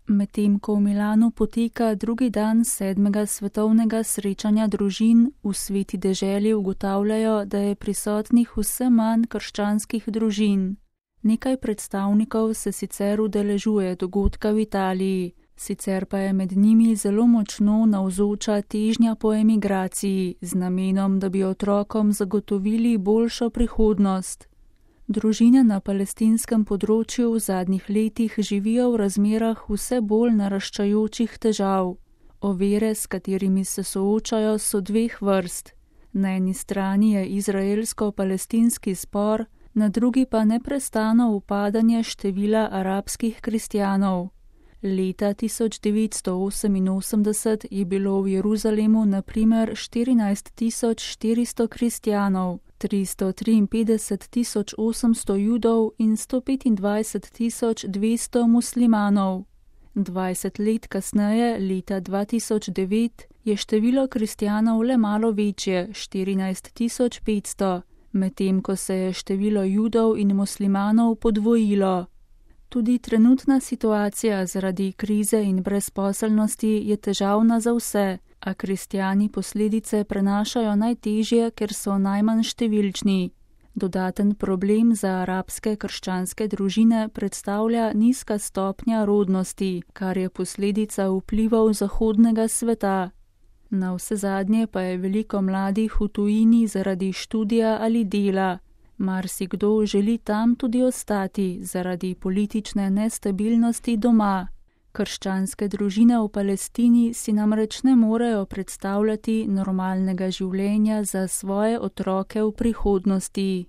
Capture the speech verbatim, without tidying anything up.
Medtem ko v Milanu poteka drugi dan sedmega svetovnega srečanja družin, v Sveti deželi ugotavljajo, da je prisotnih vse manj krščanskih družin. Nekaj predstavnikov se sicer udeležuje dogodka v Italiji, sicer pa je med njimi zelo močno navzoča težnja po emigraciji z namenom, da bi otrokom zagotovili boljšo prihodnost. Družine na palestinskem področju v zadnjih letih živijo v razmerah vse bolj naraščajočih težav. Ovire, s katerimi se soočajo, so dveh vrst. Na eni strani je izraelsko-palestinski spor, na drugi pa neprestano upadanje števila arabskih kristjanov. Leta tisoč devetsto oseminosemdeset je bilo v Jeruzalemu na primer štirinajst tisoč štiristo kristjanov, tristo triinpetdeset tisoč osemsto judov in sto petindvajset tisoč dvesto muslimanov. Dvajset let kasneje, leta dva tisoč devet, je število kristjanov le malo večje, štirinajst tisoč petsto, medtem ko se je število judov in muslimanov podvojilo. Tudi trenutna situacija zaradi krize in brezposelnosti je težavna za vse, a kristjani posledice prenašajo najtežje, ker so najmanj številčni. Dodaten problem za arabske krščanske družine predstavlja nizka stopnja rodnosti, kar je posledica vplivov zahodnega sveta. Navsezadnje pa je veliko mladih v tujini zaradi študija ali dela. Marsikdo želi tam tudi ostati zaradi politične nestabilnosti doma. Krščanske družine v Palestini si namreč ne morejo predstavljati normalnega življenja za svoje otroke v prihodnosti.